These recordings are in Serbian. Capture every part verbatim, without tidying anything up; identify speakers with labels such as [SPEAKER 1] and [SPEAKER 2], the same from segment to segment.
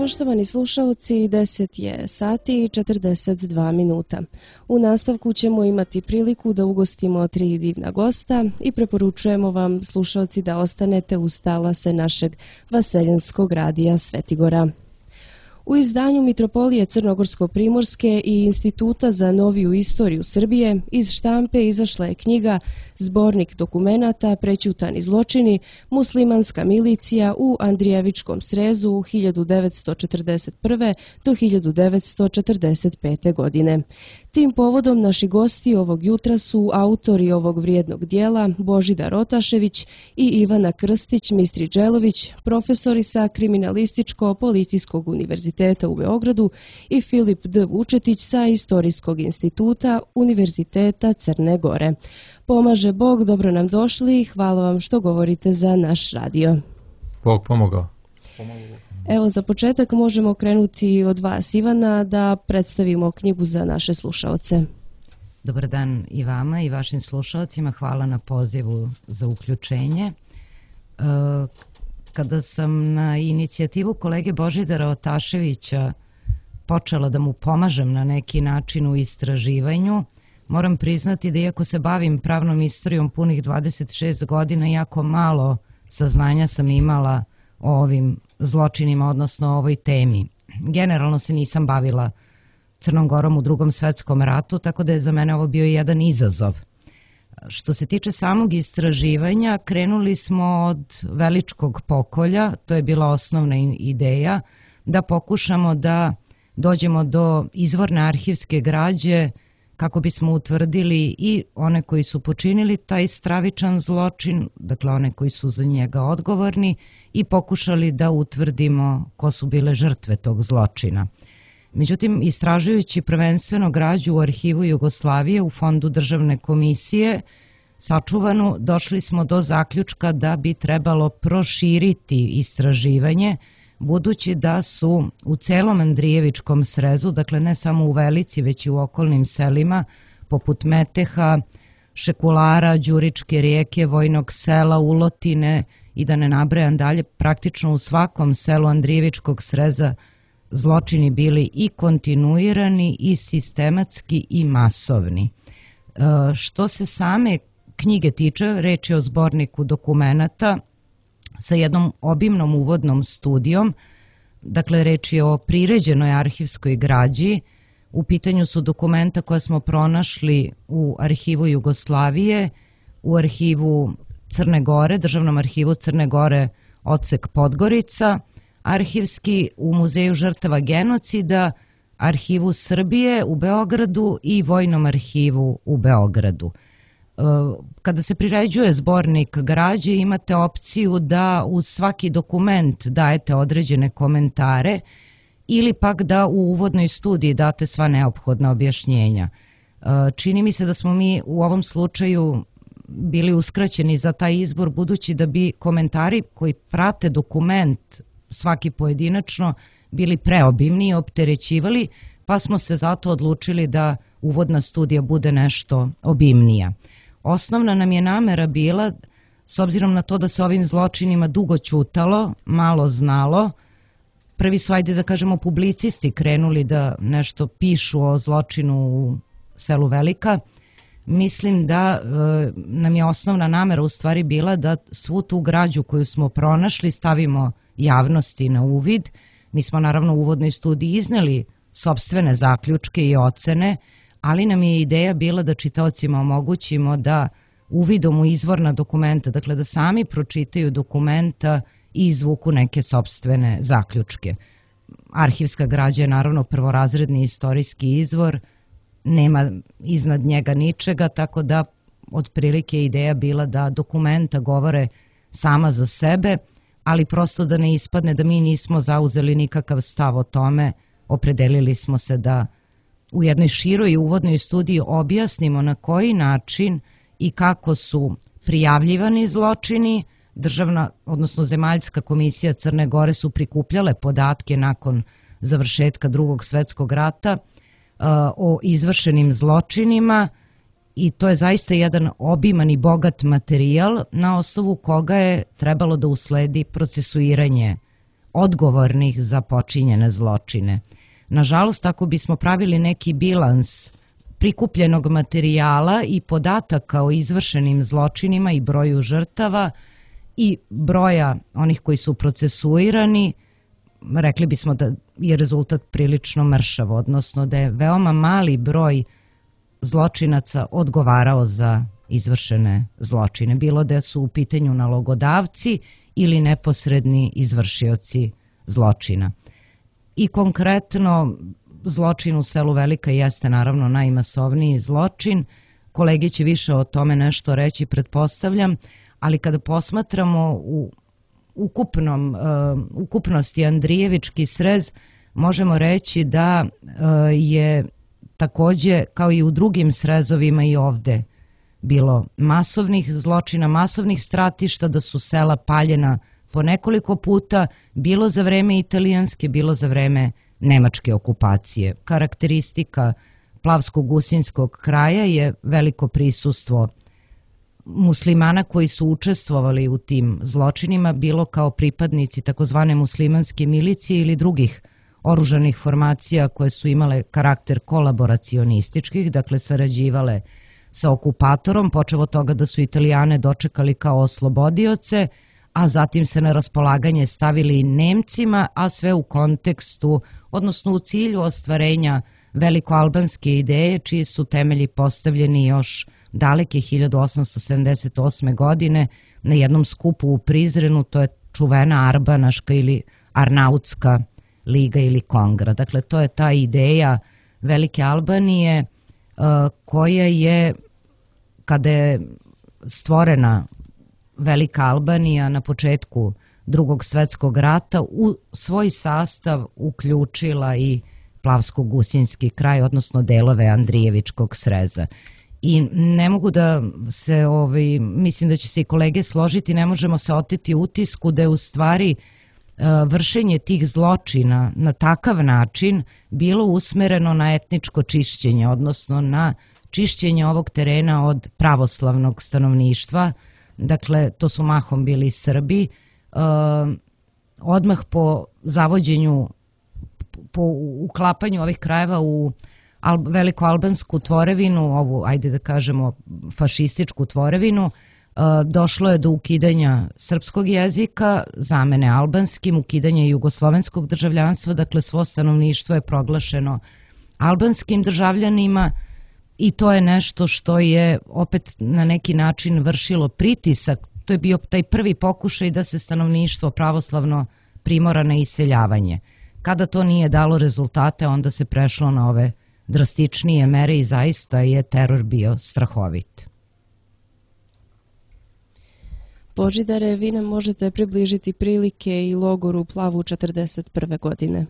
[SPEAKER 1] Poštovani slušalci, deset je sati i četrdeset dva minuta. U nastavku ćemo imati priliku da ugostimo tri divna gosta i preporučujemo vam, slušalci, da ostanete uz talase našeg vaseljenskog radija Svetigora. U izdanju Mitropolije Crnogorsko-Primorske i Instituta za noviju istoriju Srbije iz štampe izašla je knjiga Zbornik dokumenata Prećutani zločini, muslimanska milicija u Andrijevičkom srezu hiljadu devetsto četrdeset prve do hiljadu devetsto četrdeset pete. godine. Tim povodom naši gosti ovog jutra su autori ovog vrijednog dijela Božidar Otašević i Ivana Krstić-Mistriđelović, profesori sa Kriminalističko-policijskog univerziteta u Beogradu i Filip D. Vučetić sa Istorijskog instituta Univerziteta Crne Gore. Pomaže Bog, dobro nam došli i hvala vam što govorite za naš radio.
[SPEAKER 2] Bog pomogao.
[SPEAKER 1] Evo, za početak možemo krenuti od vas, Ivana, da predstavimo knjigu za naše slušaoce.
[SPEAKER 3] Dobar dan i vama i vašim slušalcima. Hvala na pozivu za uključenje. Kada sam na inicijativu kolege Božidara Otaševića počela da mu pomažem na neki način u istraživanju, moram priznati da iako se bavim pravnom istorijom punih dvadeset šest godina, jako malo saznanja sam imala o ovim zločinima, odnosno o ovoj temi. Generalno se nisam bavila Crnom Gorom u Drugom svetskom ratu, tako da je za mene ovo bio jedan izazov. Što se tiče samog istraživanja, krenuli smo od Veličkog pokolja, to je bila osnovna ideja, da pokušamo da dođemo do izvorne arhivske građe kako bismo utvrdili i one koji su počinili taj stravičan zločin, dakle one koji su za njega odgovorni, i pokušali da utvrdimo ko su bile žrtve tog zločina. Međutim, istražujući prvenstveno građu u arhivu Jugoslavije u Fondu državne komisije sačuvanu, došli smo do zaključka da bi trebalo proširiti istraživanje, budući da su u celom Andrijevičkom srezu, dakle ne samo u Velici, već i u okolnim selima, poput Meteha, Šekulara, Đuričke rijeke, Vojnog sela, Ulotine i da ne nabrajam dalje, praktično u svakom selu Andrijevičkog sreza zločini bili i kontinuirani i sistematski i masovni. Što se same knjige tiče, reč je o zborniku dokumenata sa jednom obimnom uvodnom studijom, dakle reč je o priređenoj arhivskoj građi. U pitanju su dokumenta koja smo pronašli u arhivu Jugoslavije, u arhivu Crne Gore, Državnom arhivu Crne Gore, odsek Podgorica, arhivski u Muzeju žrtava genocida, arhivu Srbije u Beogradu i Vojnom arhivu u Beogradu. Kada se priređuje zbornik građe, imate opciju da uz svaki dokument dajete određene komentare ili pak da u uvodnoj studiji date sva neophodna objašnjenja. Čini mi se da smo mi u ovom slučaju bili uskraćeni za taj izbor, budući da bi komentari koji prate dokument svaki pojedinačno bili preobimni i opterećivali, pa smo se zato odlučili da uvodna studija bude nešto obimnija. Osnovna nam je namera bila, s obzirom na to da se ovim zločinima dugo ćutalo, malo znalo, prvi su, ajde da kažemo, publicisti krenuli da nešto pišu o zločinu u selu Velika. Mislim da e, nam je osnovna namera u stvari bila da svu tu građu koju smo pronašli stavimo javnosti na uvid. Mi smo naravno u uvodnoj studiji izneli sopstvene zaključke i ocene, ali nam je ideja bila da čitaocima omogućimo da uvidom u izvorna dokumenta, dakle da sami pročitaju dokumenta i izvuku neke sopstvene zaključke. Arhivska građa je naravno prvorazredni istorijski izvor, nema iznad njega ničega, tako da otprilike ideja bila da dokumenta govore sama za sebe, ali prosto da ne ispadne da mi nismo zauzeli nikakav stav o tome, opredelili smo se da u jednoj široj uvodnoj studiji objasnimo na koji način i kako su prijavljivani zločini. Državna, odnosno Zemaljska komisija Crne Gore su prikupljale podatke nakon završetka Drugog svetskog rata o izvršenim zločinima i to je zaista jedan obiman i bogat materijal na osnovu koga je trebalo da usledi procesuiranje odgovornih za počinjene zločine. Nažalost, ako bismo pravili neki bilans prikupljenog materijala i podataka o izvršenim zločinima i broju žrtava i broja onih koji su procesuirani, rekli bismo da je rezultat prilično mršav, odnosno da je veoma mali broj zločinaca odgovarao za izvršene zločine, bilo da su u pitanju nalogodavci ili neposredni izvršioci zločina. I konkretno, zločin u selu Velika jeste naravno najmasovniji zločin. Kolege će više o tome nešto reći, pretpostavljam, ali kada posmatramo u ukupnom, uh, ukupnosti Andrijevički srez, možemo reći da uh, je takođe, kao i u drugim srezovima, i ovde bilo masovnih zločina, masovnih stratišta, da su sela paljena po nekoliko puta, bilo za vreme italijanske, bilo za vreme nemačke okupacije. Karakteristika Plavsko-Gusinskog kraja je veliko prisustvo muslimana koji su učestvovali u tim zločinima, bilo kao pripadnici takozvane muslimanske milicije ili drugih oružanih formacija koje su imale karakter kolaboracionističkih, dakle sarađivale sa okupatorom, počev od toga da su Italijane dočekali kao oslobodioce, a zatim se na raspolaganje stavili Nemcima, a sve u kontekstu, odnosno u cilju ostvarenja velikoalbanske ideje, čiji su temelji postavljeni još daleke hiljadu osamsto sedamdeset osme. godine na jednom skupu u Prizrenu, to je čuvena Arbanaška ili Arnautska liga ili kongra. Dakle, to je ta ideja Velike Albanije koja je, kada je stvorena Velika Albanija na početku Drugog svetskog rata, u svoj sastav uključila i Plavsko-Gusinski kraj, odnosno delove Andrijevičkog sreza. I ne mogu da se, ovaj, mislim da će se i kolege složiti, ne možemo se oteti utisku da je u stvari vršenje tih zločina na takav način bilo usmereno na etničko čišćenje, odnosno na čišćenje ovog terena od pravoslavnog stanovništva. Dakle, to su mahom bili Srbi. Odmah po zavođenju, po uklapanju ovih krajeva u velikoalbansku tvorevinu, ovu, ajde da kažemo, fašističku tvorevinu, došlo je do ukidanja srpskog jezika, zamene albanskim, ukidanja jugoslovenskog državljanstva, dakle svo stanovništvo je proglašeno albanskim državljanima i to je nešto što je opet na neki način vršilo pritisak. To je bio taj prvi pokušaj da se stanovništvo pravoslavno primora na iseljavanje. Kada to nije dalo rezultate, onda se prešlo na ove drastičnije mere i zaista je teror bio strahovit.
[SPEAKER 1] Božidare, vi nam možete približiti prilike i logor u Plavu četrdeset prve. godine.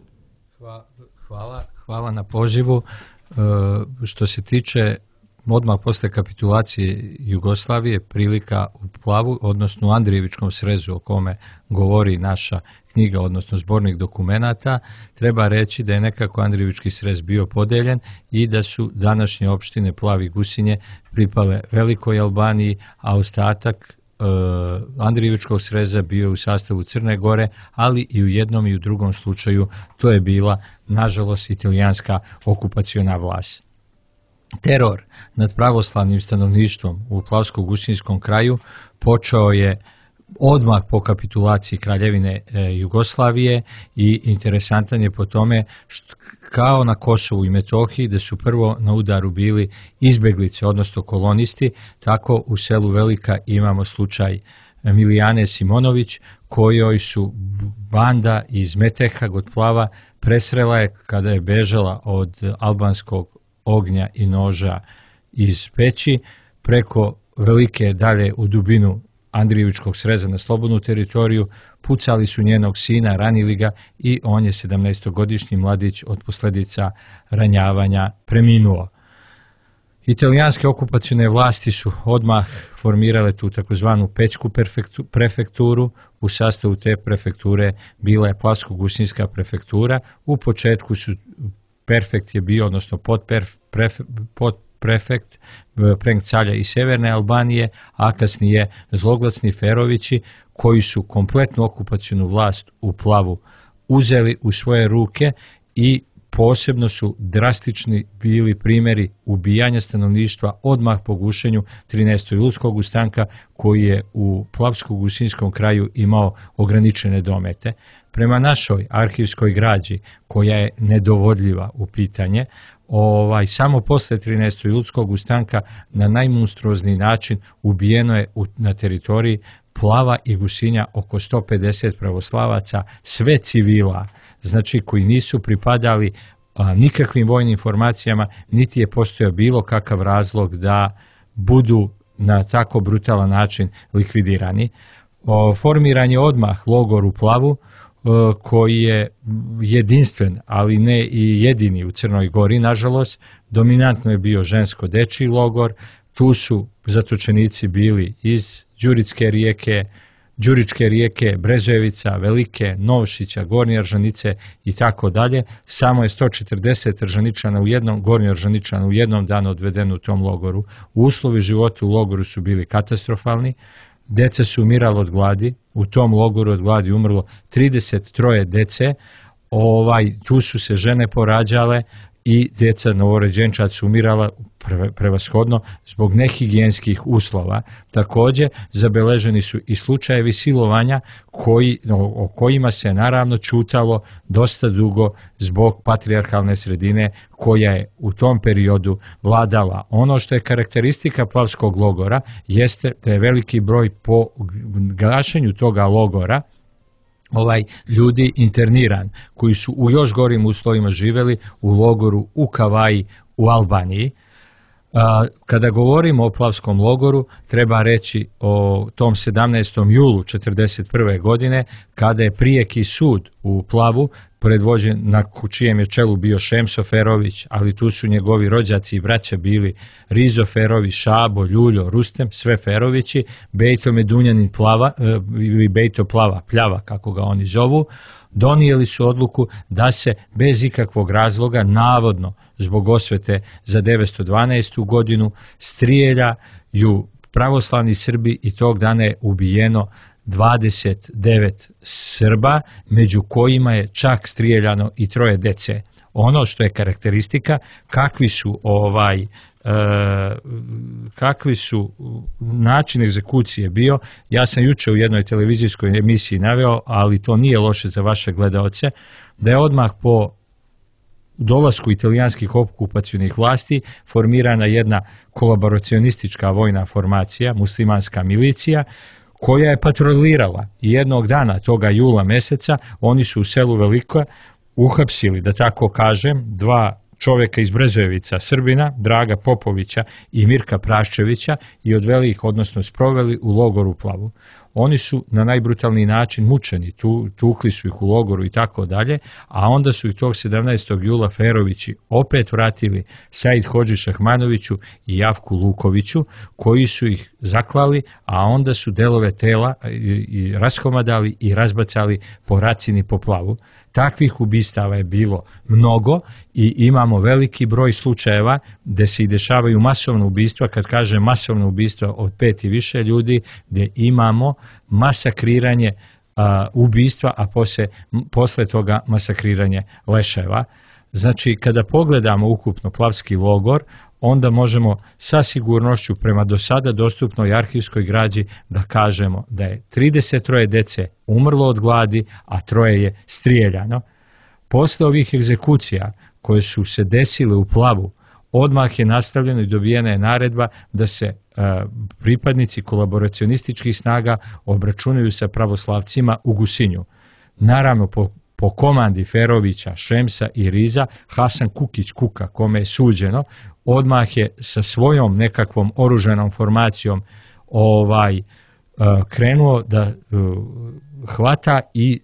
[SPEAKER 2] Hvala, hvala na pozivu. Što se tiče odmah posle kapitulacije Jugoslavije, prilika u Plavu, odnosno u Andrijevičkom srezu o kome govori naša knjiga, odnosno zbornik dokumenata, treba reći da je nekako Andrijevički srez bio podeljen i da su današnje opštine Plav i Gusinje pripale Velikoj Albaniji, a ostatak Andrijevičkog sreza bio u sastavu Crne Gore, ali i u jednom i u drugom slučaju to je bila, nažalost, italijanska okupaciona vlast. Teror nad pravoslavnim stanovništvom u Plavsko-Gusinskom kraju počeo je odmah po kapitulaciji Kraljevine Jugoslavije i interesantan je po tome što, kao na Kosovu i Metohiji, da su prvo na udaru bili izbeglice, odnosno kolonisti, tako u selu Velika imamo slučaj Milijane Simonović, kojoj su banda iz Meteha kod Plava presrela je kada je bežala od albanskog ognja i noža iz peći preko Velike dalje u dubinu Andrijevičkog sreza na slobodnu teritoriju, pucali su njenog sina, ranili ga i on je sedamnaestogodišnji mladić od posledica ranjavanja preminuo. Italijanske okupacione vlasti su odmah formirale tu takozvanu Pećku prefekturu. U sastavu te prefekture bila je Plavsko-Gusinska prefektura. U početku su prefekt je bio, odnosno pod prefekt, Prenk Calja iz Sjeverne Albanije, a kasnije zloglasni Ferovići koji su kompletnu okupacionu vlast u Plavu uzeli u svoje ruke i posebno su drastični bili primjeri ubijanja stanovništva odmah po gušenju trinaestog julskog ustanka koji je u Plavsko-Gusinskom kraju imao ograničene domete. Prema našoj arhivskoj građi koja je nedovodljiva u pitanje, ovaj, samo posle trinaestog julskog ustanka na najmonstruozniji način ubijeno je u, na teritoriji Plava i Gusinja oko sto pedeset pravoslavaca, sve civila, znači koji nisu pripadali a, nikakvim vojnim formacijama, niti je postojao bilo kakav razlog da budu na tako brutalan način likvidirani. O, formiran je odmah logor u Plavu, o, koji je jedinstven, ali ne i jedini u Crnoj Gori, nažalost. Dominantno je bio žensko-dečiji logor, tu su zatočenici bili iz Đuričke rijeke, Đuričke rijeke, Brezojevica, Velike, Novšića, Gornje Aržanice i tako dalje. Samo je sto četrdeset Aržaničana u jednom, Gornje Aržaničana u jednom danu odvedeno u tom logoru. Uslovi života u logoru su bili katastrofalni, deca su umirala od gladi, u tom logoru od gladi umrlo trideset troje dece, ovaj, tu su se žene porađale i djeca novorođenčad su umirala prevashodno zbog nehigijenskih uslova. Također zabeleženi su i slučajevi silovanja koji, o kojima se naravno ćutalo dosta dugo zbog patrijarhalne sredine koja je u tom periodu vladala. Ono što je karakteristika Plavskog logora jeste da je veliki broj po gašenju toga logora ovaj ljudi interniran, koji su u još gorim uslovima živjeli u logoru u Kavaji u Albaniji. Kada govorimo o Plavskom logoru, treba reći o tom sedamnaestom julu četrdeset prve godine, kada je prijeki sud u Plavu, predvođen, na čijem je čelu bio Šemso Ferović, ali tu su njegovi rođaci i braća bili Rizo Ferović, Šabo, Ljuljo, Rustem, sve Ferovići, Bejto Medunjanin Plava, ili Bejto Plava, Pljava, kako ga oni zovu, donijeli su odluku da se bez ikakvog razloga, navodno zbog osvete za devetsto dvanaestu godinu, strijeljaju pravoslavni Srbi i tog dana je ubijeno dvadeset devet Srba, među kojima je čak strijeljano i troje dece. Ono što je karakteristika, kakvi su ovaj e, kakvi su način egzekucije bio, ja sam juče u jednoj televizijskoj emisiji naveo, ali to nije loše za vaše gledaoce, da je odmah po dolasku italijanskih okupacionih vlasti formirana jedna kolaboracionistička vojna formacija, muslimanska milicija, koja je patrolirala i jednog dana toga jula meseca oni su u selu Veliko uhapsili, da tako kažem, dva čovjeka iz Brezojevica, Srbina, Draga Popovića i Mirka Praščevića i odveli ih, odnosno sproveli u logor u Plavu. Oni su na najbrutalniji način mučeni, tu, tukli su ih u logoru i tako dalje, a onda su ih tog sedamnaestog jula Ferovići opet vratili Said Hodži Šahmanoviću i Javku Lukoviću, koji su ih zaklali, a onda su delove tela i, i raskomadali i razbacali po Racini po Plavu. Takvih ubistava je bilo mnogo i imamo veliki broj slučajeva gdje se i dešavaju masovna ubistva, kad kažem masovno ubistva od pet i više ljudi, gdje imamo masakriranje a, ubistva, a posle, posle toga masakriranje leševa. Znači, kada pogledamo ukupno Plavski logor, onda možemo sa sigurnošću prema do sada dostupnoj arhivskoj građi da kažemo da je trideset troje dece umrlo od gladi, a troje je strijeljano. Posle ovih egzekucija koje su se desile u Plavu, odmah je nastavljeno i dobijena je naredba da se a, pripadnici kolaboracionističkih snaga obračunaju sa pravoslavcima u Gusinju. Naravno, po Po komandi Ferovića, Šemsa i Riza, Hasan Kukić Kuka, kome je suđeno, odmah je sa svojom nekakvom oružanom formacijom ovaj uh, krenuo da uh, hvata i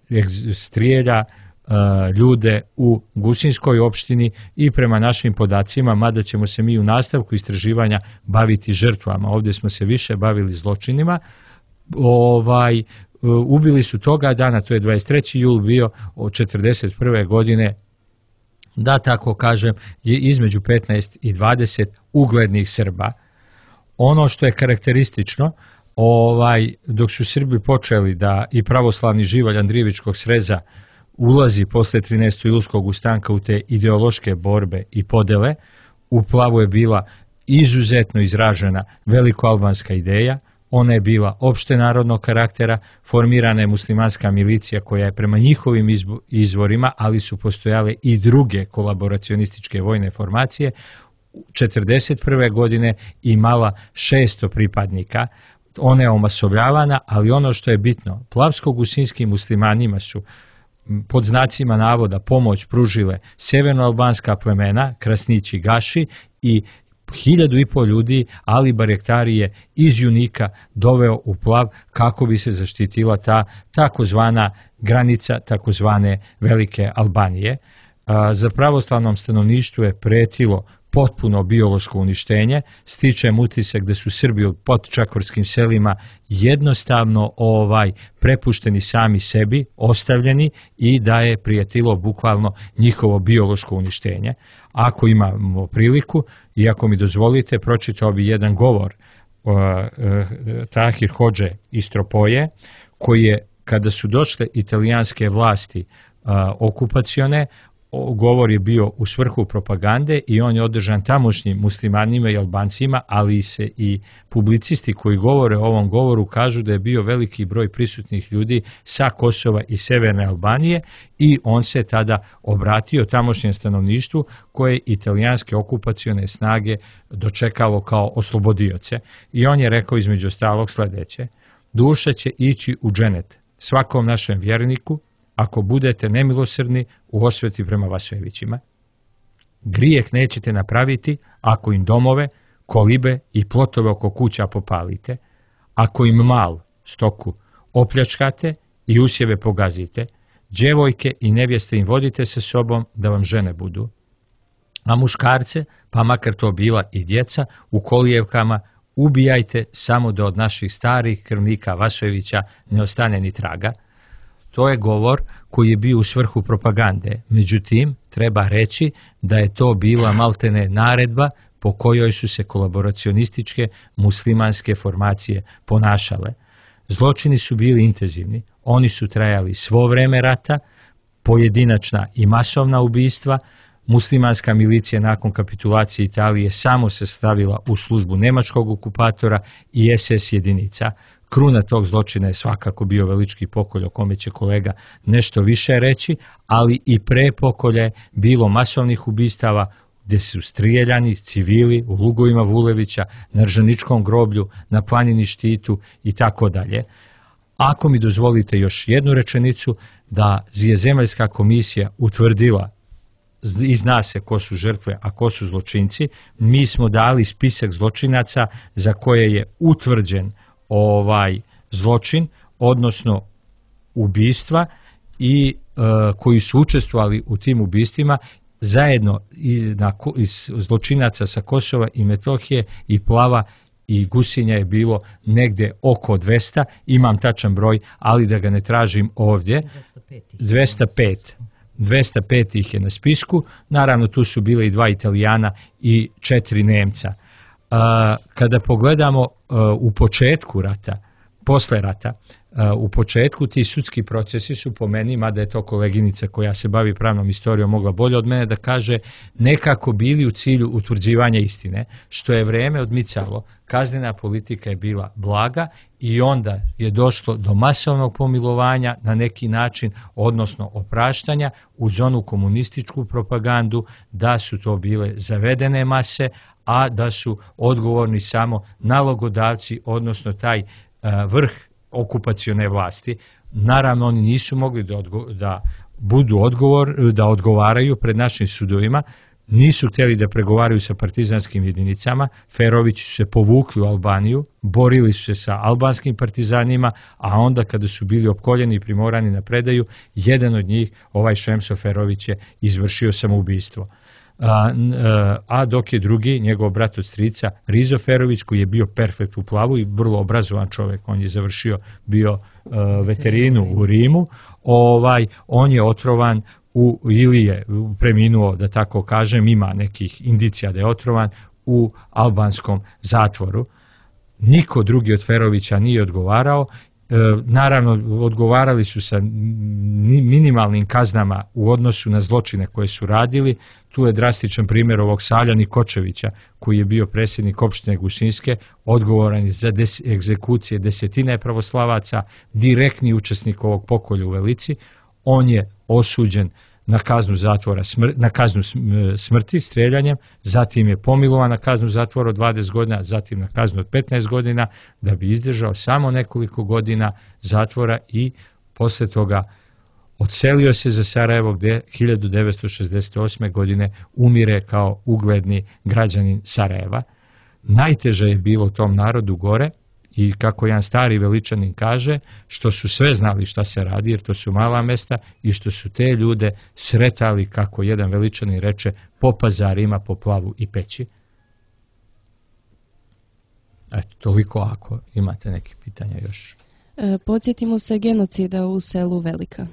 [SPEAKER 2] strijelja uh, ljude u Gusinskoj opštini i prema našim podacima, mada ćemo se mi u nastavku istraživanja baviti žrtvama, ovdje smo se više bavili zločinima, ovaj ubili su toga dana, to je dvadeset treći jul bio od četrdeset prve godine, da tako kažem, je između petnaest i dvadeset uglednih Srba. Ono što je karakteristično, ovaj, dok su Srbi počeli da i pravoslavni živalj Andrijevičkog sreza ulazi posle trinaestog julskog ustanka u te ideološke borbe i podele, u Plavu je bila izuzetno izražena velikoalbanska ideja, ona je bila opštenarodnog karaktera, formirana je muslimanska milicija koja je prema njihovim izvorima, ali su postojale i druge kolaboracionističke vojne formacije, četrdeset prve godine imala šesto pripadnika. Ona je omasovljavana, ali ono što je bitno, plavsko-gusinskim muslimanima su pod znacima navoda pomoć pružile severnoalbanska plemena, Krasnići Gaši, i hiljadu i pol ljudi Ali Barjaktari je iz Junika doveo u Plav kako bi se zaštitila ta takozvana granica takozvane Velike Albanije. Za pravoslavnom stanovništvu je pretilo potpuno biološko uništenje, stičem utisak da su Srbi u podčakvorskim selima jednostavno ovaj prepušteni sami sebi, ostavljeni, i da je prijetilo bukvalno njihovo biološko uništenje. Ako imamo priliku i ako mi dozvolite, pročitao bi jedan govor uh, uh, Tahir Hodže iz Tropoje, koji je, kada su došle italijanske vlasti uh, okupacione, govor je bio u svrhu propagande i on je održan tamošnjim muslimanima i Albancima, ali se i publicisti koji govore o ovom govoru kažu da je bio veliki broj prisutnih ljudi sa Kosova i Severne Albanije, i on se tada obratio tamošnjem stanovništvu koje italijanske okupacione snage dočekalo kao oslobodioce. I on je rekao između ostalog sledeće: duša će ići u dženet svakom našem vjerniku ako budete nemilosrdni u osveti prema Vasojevićima. Grijeh nećete napraviti ako im domove, kolibe i plotove oko kuća popalite, ako im mal, stoku, opljačkate i usjeve pogazite, djevojke i nevjeste im vodite sa sobom da vam žene budu. A muškarce, pa makar to bila i djeca, u kolijevkama ubijajte samo da od naših starih krvnika Vasojevića ne ostane ni traga. To je govor koji je bio u svrhu propagande. Međutim, treba reći da je to bila maltene naredba po kojoj su se kolaboracionističke muslimanske formacije ponašale. Zločini su bili intenzivni. Oni su trajali svo vreme rata, pojedinačna i masovna ubistva. Muslimanska milicija nakon kapitulacije Italije samo se stavila u službu nemačkog okupatora i es es jedinica. Kruna tog zločina je svakako bio Velički pokolj, o kome će kolega nešto više reći, ali i pre pokolja je bilo masovnih ubistava gdje su strijeljani civili u lugovima Vulevića, na Ržaničkom groblju, na planini Štitu i tako dalje. Ako mi dozvolite još jednu rečenicu, da je Zemaljska komisija utvrdila i zna se ko su žrtve, a ko su zločinci, mi smo dali spisak zločinaca za koje je utvrđen ovaj zločin, odnosno ubistva, i e, koji su učestvovali u tim ubistvima, zajedno i na, iz zločinaca sa Kosova i Metohije i Plava i Gusinja je bilo negde oko dvesta, imam tačan broj, ali da ga ne tražim ovdje. dvesta pet. dvesta pet ih je na spisku, naravno tu su bile i dva Italijana i četiri Nemca. Kada pogledamo u početku rata, posle rata, u početku ti sudski procesi su po meni, mada je to koleginica koja se bavi pravnom istorijom mogla bolje od mene da kaže, nekako bili u cilju utvrđivanja istine, što je vreme odmicalo, kaznena politika je bila blaga i onda je došlo do masovnog pomilovanja na neki način, odnosno opraštanja uz onu komunističku propagandu da su to bile zavedene mase, a da su odgovorni samo nalogodavci, odnosno taj vrh okupacione vlasti. Naravno, oni nisu mogli da, odgo da budu odgovor, da odgovaraju pred našim sudovima, nisu htjeli da pregovaraju sa partizanskim jedinicama, Ferovići su se povukli u Albaniju, borili su se sa albanskim partizanima, a onda kada su bili opkoljeni i primorani na predaju, jedan od njih, ovaj Šemso Ferović, je izvršio samoubistvo. A, a dok je drugi, njegov brat od strica, Rizo Ferović, koji je bio perfekt u Plavu i vrlo obrazovan čovjek, on je završio bio uh, veterinu u Rimu, ovaj, on je otrovan u, ili je preminuo, da tako kažem, ima nekih indicija da je otrovan u albanskom zatvoru. Niko drugi od Ferovića nije odgovarao. E, naravno, odgovarali su sa minimalnim kaznama u odnosu na zločine koje su radili. Tu je drastičan primjer ovog Savlja Nikočevića, koji je bio predsjednik opštine Gusinske, odgovoran za des, egzekucije desetine pravoslavaca, direktni učesnik ovog pokolja u Velici. On je osuđen na kaznu zatvora, smr, na kaznu smrti streljanjem, zatim je pomilovan na kaznu zatvora od dvadeset godina, zatim na kaznu od petnaest godina, da bi izdržao samo nekoliko godina zatvora i posle toga odselio se za Sarajevo, gdje hiljadu devetsto šezdeset osme. godine umire kao ugledni građanin Sarajeva. Najteže je bilo tom narodu gore, i kako jedan stari Veličanin kaže, što su sve znali šta se radi, jer to su mala mesta, i što su te ljude sretali, kako jedan Veličanin reče, po pazarima, po plavu i peći. Eto, toliko ako imate neke pitanja još.
[SPEAKER 1] E, podsjetimo se genocida u selu Velika.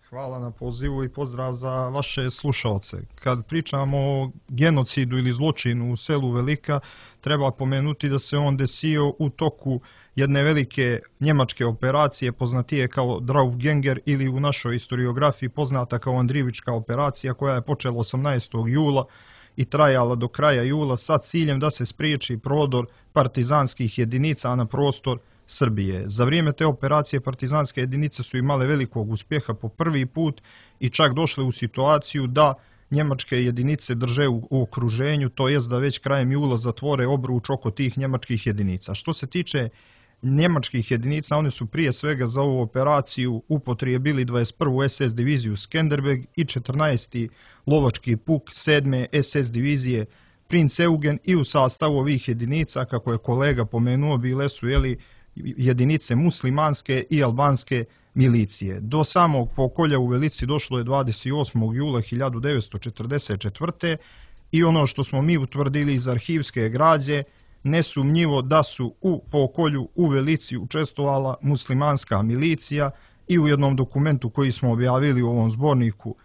[SPEAKER 4] Hvala na pozivu i pozdrav za vaše slušalce. Kad pričamo o genocidu ili zločinu u selu Velika, treba pomenuti da se on desio u toku jedne velike njemačke operacije, poznatije kao Draufgänger ili u našoj historiografiji poznata kao Andrijevička operacija, koja je počela osamnaestog jula i trajala do kraja jula sa ciljem da se spriječi prodor partizanskih jedinica na prostor Srbije. Za vrijeme te operacije partizanske jedinice su imale velikog uspjeha po prvi put i čak došle u situaciju da njemačke jedinice drže u okruženju, to jest da već krajem jula zatvore obruč oko tih njemačkih jedinica. Što se tiče njemačkih jedinica, one su prije svega za ovu operaciju upotrijebili dvadeset prvu es es diviziju Skenderbeg i četrnaesti lovački puk sedme es es divizije Prinz Eugen, i u sastavu ovih jedinica, kako je kolega pomenuo, bile su jeli jedinice muslimanske i albanske milicije. Do samog pokolja u Velici došlo je dvadeset osmog jula hiljadu devetsto četrdeset četvrte. i ono što smo mi utvrdili iz arhivske građe, nesumnjivo da su u pokolju u Velici učestvovala muslimanska milicija, i u jednom dokumentu koji smo objavili u ovom zborniku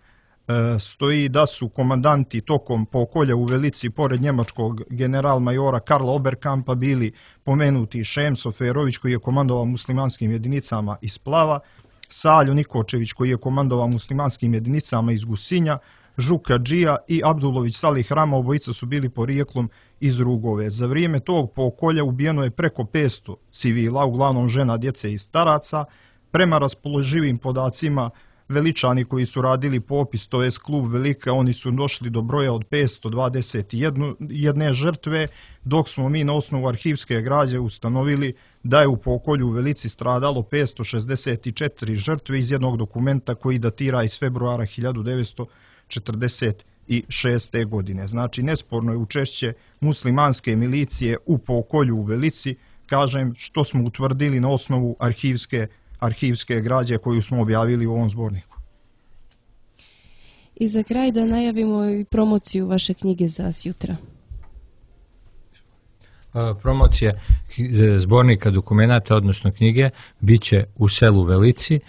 [SPEAKER 4] stoji da su komandanti tokom pokolja u Velici pored njemačkog general-majora Karla Oberkampa bili pomenuti Šemso Ferović, koji je komandovao muslimanskim jedinicama iz Plava, Saljo Nikočević, koji je komandovao muslimanskim jedinicama iz Gusinja, Žuka Džija i Abdulović Salih Rama, obojica su bili porijeklom iz Rugove. Za vrijeme tog pokolja ubijeno je preko petsto civila, uglavnom žena, djece i staraca. Prema raspoloživim podacima, Veličani koji su radili popis, to jest klub Velika, oni su došli do broja od petsto dvadeset jedne žrtve, dok smo mi na osnovu arhivske građe ustanovili da je u pokolju u Velici stradalo petsto šezdeset četiri žrtve iz jednog dokumenta koji datira iz februara hiljadu devetsto četrdeset šeste. godine. Znači, nesporno je učešće muslimanske milicije u pokolju u Velici, kažem, što smo utvrdili na osnovu arhivske arhivske građe koju smo objavili u ovom zborniku.
[SPEAKER 1] I za kraj da najavimo i promociju vaše knjige za sjutra.
[SPEAKER 2] Promocija zbornika dokumenata, odnosno knjige, bit će u selu Velici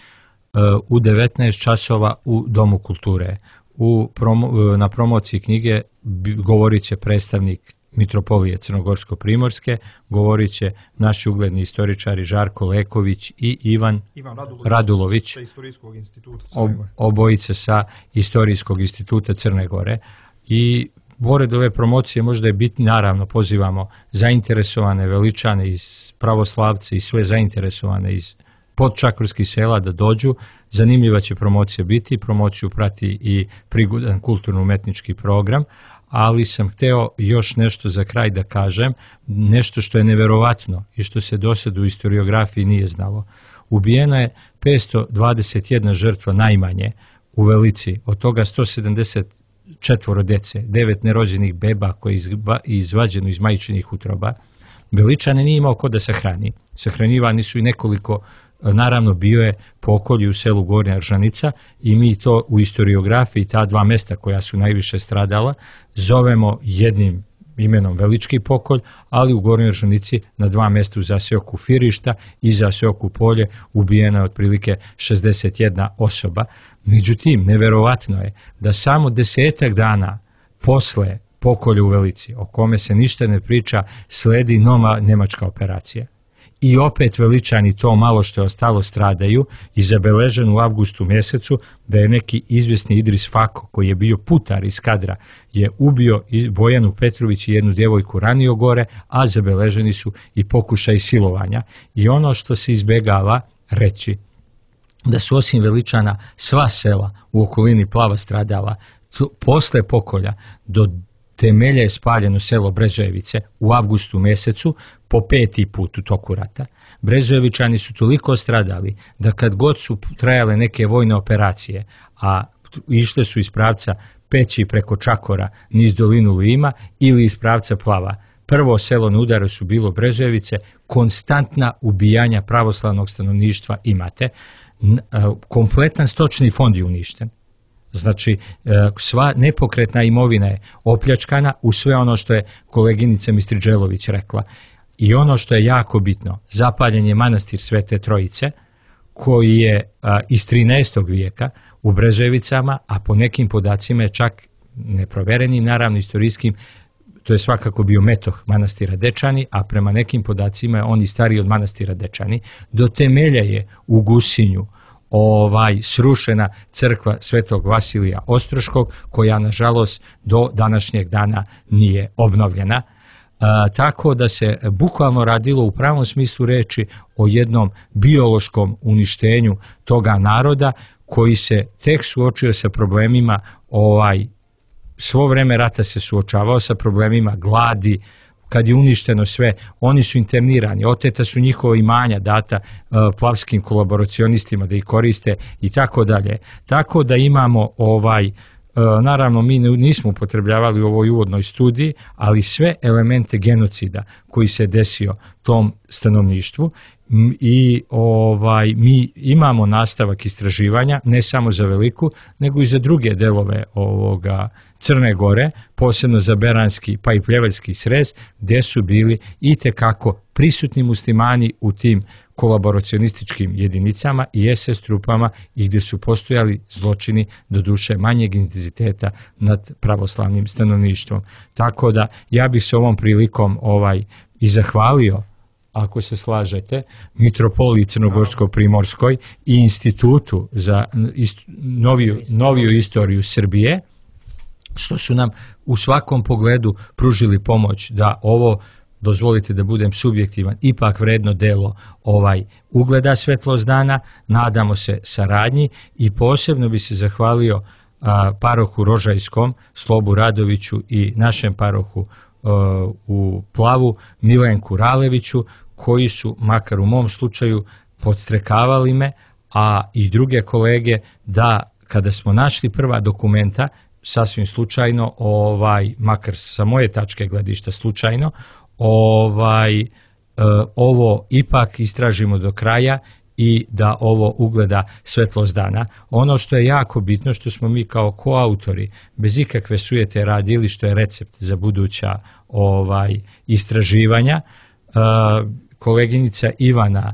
[SPEAKER 2] u devetnaest časova u Domu kulture. U promo, na promociji knjige govorit će predstavnik Mitropolije Crnogorsko-Primorske, govorit će naši ugledni istoričari Žarko Leković i Ivan, Ivan Radulović, Radulović
[SPEAKER 4] sa Istorijskog instituta
[SPEAKER 2] Crne Gore. Obojice sa Istorijskog instituta Crne Gore. I pored ove promocije možda je bitno, naravno pozivamo zainteresovane Veličane iz pravoslavce i sve zainteresovane iz podčakorskih sela da dođu. Zanimljiva će promocija biti, promociju prati i prigodan kulturno-umetnički program, ali sam hteo još nešto za kraj da kažem, nešto što je neverovatno i što se do sada u historiografiji nije znalo. Ubijeno je petsto dvadeset jedna žrtva najmanje u Velici, od toga sto sedamdeset četvoro dece, devet nerođenih beba koje je izvađeno iz majčinih utroba. Veličane nije imao ko da sahrani. Sahranjivani su i nekoliko, naravno bio je pokolj u selu Gornja Ržanica, i mi to u historiografiji, ta dva mesta koja su najviše stradala, zovemo jednim imenom Velički pokolj, ali u Gornjoj Oržanici na dva mjesta u zaseoku Firišta i zaseoku Polje ubijena je otprilike šezdeset jedna osoba. Međutim, neverovatno je da samo desetak dana posle pokolja u Velici, o kome se ništa ne priča, sledi nova nemačka operacija. I opet Veličani to malo što je ostalo stradaju i zabeležen u avgustu mjesecu da je neki izvjesni Idris Fako, koji je bio putar iz kadra, je ubio Bojanu Petrović i jednu djevojku ranio gore, a zabeleženi su i pokušaj silovanja. I ono što se izbjegava reći, da su osim Veličana sva sela u okolini Plava stradala, posle pokolja do temelja je spaljeno selo Brezojevice u avgustu mjesecu po peti put u toku rata. Brezojevičani su toliko stradali da kad god su trajale neke vojne operacije, a išle su iz pravca Peći preko Čakora niz dolinu Lima ili iz pravca Plava, prvo selo na udaru su bilo Brezojevice, konstantna ubijanja pravoslavnog stanovništva imate, kompletan stočni fond je uništen. Znači, sva nepokretna imovina je opljačkana u sve ono što je koleginica Mistriđelović rekla. I ono što je jako bitno, zapaljen je manastir Svete Trojice, koji je iz trinaestog vijeka u Brezojevicama, a po nekim podacima je čak neproverenim, naravno istorijskim, to je svakako bio metoh manastira Dečani, a prema nekim podacima je on i stariji od manastira Dečani. Do temelja je u Gusinju ovaj srušena crkva Svetog Vasilija Ostroškog, koja nažalost do današnjeg dana nije obnovljena. A, tako da se bukvalno radilo u pravom smislu reči o jednom biološkom uništenju toga naroda, koji se tek suočio sa problemima, ovaj, svo vreme rata se suočavao sa problemima gladi. Kad je uništeno sve, oni su internirani, oteta su njihova imanja data uh, plavskim kolaboracionistima da ih koriste i tako dalje. Tako da imamo ovaj, uh, naravno mi nismo upotrebljavali u ovoj uvodnoj studiji, ali sve elemente genocida koji se desio tom stanovništvu i ovaj, mi imamo nastavak istraživanja ne samo za Veliku, nego i za druge delove ovoga Crne Gore, posebno za Beranski pa i Pljevaljski srez, gdje su bili itekako prisutni muslimani u tim kolaboracionističkim jedinicama i es es trupama i gdje su postojali zločini do duše manjeg intenziteta nad pravoslavnim stanovništvom. Tako da ja bih se ovom prilikom ovaj i zahvalio, ako se slažete, Mitropoliji Crnogorsko-Primorskoj i Institutu za ist, noviju, noviju istoriju Srbije, što su nam u svakom pogledu pružili pomoć da ovo, dozvolite da budem subjektivan, ipak vredno delo ovaj ugleda svetlost dana. Nadamo se saradnji i posebno bi se zahvalio a, parohu Rožajskom, Slobu Radoviću i našem parohu a, u Plavu, Milenku Raleviću, koji su, makar u mom slučaju, podstrekavali me, a i druge kolege, da kada smo našli prva dokumenta, sasvim slučajno, ovaj, makar sa moje tačke gledišta slučajno, ovaj, e, ovo ipak istražimo do kraja i da ovo ugleda svetlost dana. Ono što je jako bitno, što smo mi kao koautori bez ikakve sujete radili, što je recept za buduća ovaj, istraživanja, e, koleginica Ivana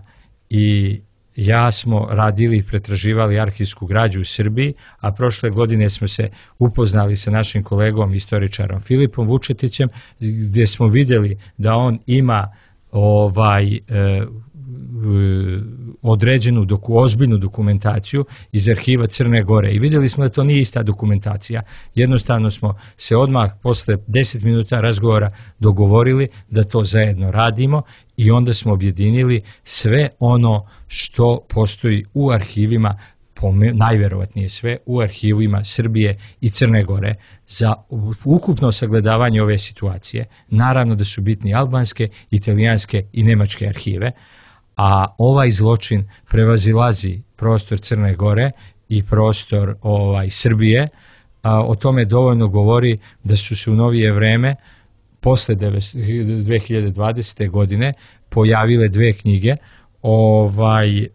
[SPEAKER 2] i ja smo radili i pretraživali arhivsku građu u Srbiji, a prošle godine smo se upoznali sa našim kolegom istoričarom Filipom Vučetićem, gdje smo vidjeli da on ima ovaj e, određenu doku, ozbiljnu dokumentaciju iz arhiva Crne Gore i vidjeli smo da to nije ista dokumentacija. Jednostavno smo se odmah posle deset minuta razgovora dogovorili da to zajedno radimo i onda smo objedinili sve ono što postoji u arhivima, najvjerovatnije sve u arhivima Srbije i Crne Gore za ukupno sagledavanje ove situacije. Naravno da su bitni albanske, italijanske i nemačke arhive, a ovaj zločin prevazilazi prostor Crne Gore i prostor ovaj, Srbije. A, o tome dovoljno govori da su se u novije vreme, posle dve hiljade dvadesete. godine, pojavile dve knjige, ovaj,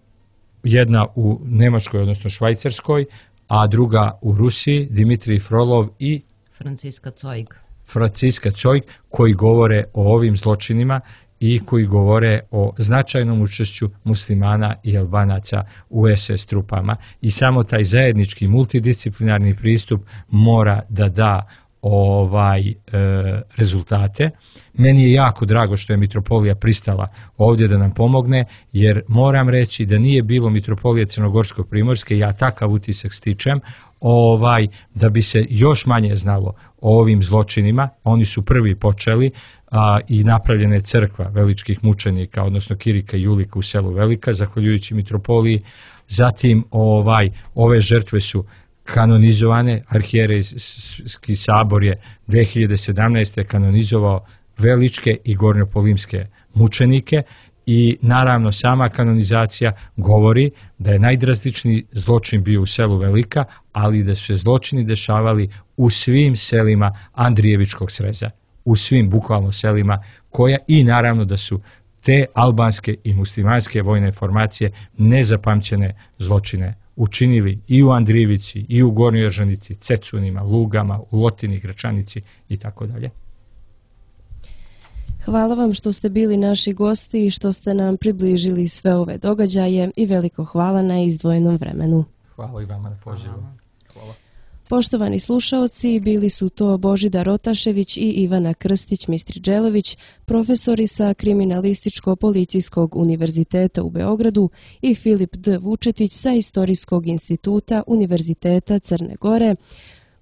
[SPEAKER 2] jedna u Nemačkoj, odnosno Švajcarskoj, a druga u Rusiji, Dimitrij Frolov i
[SPEAKER 3] Franciska Cojg.
[SPEAKER 2] Franciska Cojk, koji govore o ovim zločinima i koji govore o značajnom učešću muslimana i Albanaca u es es trupama. I samo taj zajednički multidisciplinarni pristup mora da da ovaj e, rezultate. Meni je jako drago što je mitropolija pristala ovdje da nam pomogne, jer moram reći da nije bilo mitropolije Crnogorsko-Primorske, ja takav utisak stičem, ovaj, da bi se još manje znalo o ovim zločinima. Oni su prvi počeli a, i napravljena je crkva veličkih mučenika, odnosno Kirika i Julika u selu Velika, zahvaljujući mitropoliji. Zatim ovaj, ove žrtve su kanonizovane, arhijerejski sabor je dve hiljade sedamnaeste. kanonizovao Veličke i Gornjopolimske mučenike i naravno sama kanonizacija govori da je najdrastičniji zločin bio u selu Velika, ali da su se zločini dešavali u svim selima Andrijevičkog sreza, u svim bukvalno selima koja i naravno da su te albanske i muslimanske vojne formacije nezapamćene zločine učinili i u Andrijevici, i u Gornjoj Eržanici, Cecunima, Lugama, u Lotini, Gračanici i tako dalje.
[SPEAKER 1] Hvala vam što ste bili naši gosti i što ste nam približili sve ove događaje i veliko hvala na izdvojenom vremenu.
[SPEAKER 2] Hvala i vama na pozivu. Hvala.
[SPEAKER 1] Poštovani slušaoci, bili su to Božidar Otašević i Ivana Krstić-Mistriđelović, profesori sa Kriminalističko-policijskog univerziteta u Beogradu, i Filip D. Vučetić sa Istorijskog instituta Univerziteta Crne Gore,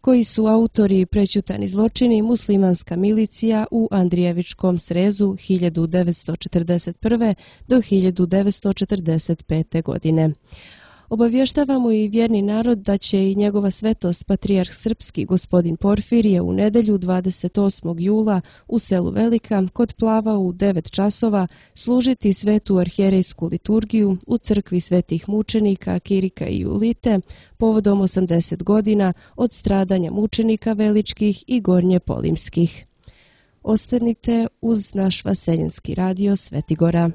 [SPEAKER 1] koji su autori Prećutani zločini, muslimanska milicija u Andrijevičkom srezu hiljadu devetsto četrdeset prve. do hiljadu devetsto četrdeset pete. godine. Obavještavamo i vjerni narod da će i njegova svetost patrijarh srpski gospodin Porfirije u nedelju dvadeset osmog jula u selu Velika kod Plava u devet časova služiti svetu arhijerejsku liturgiju u crkvi svetih mučenika Kirika i Julite povodom osamdeset godina od stradanja mučenika veličkih i gornje polimskih. Ostanite uz naš vaseljenski radio Svetigora.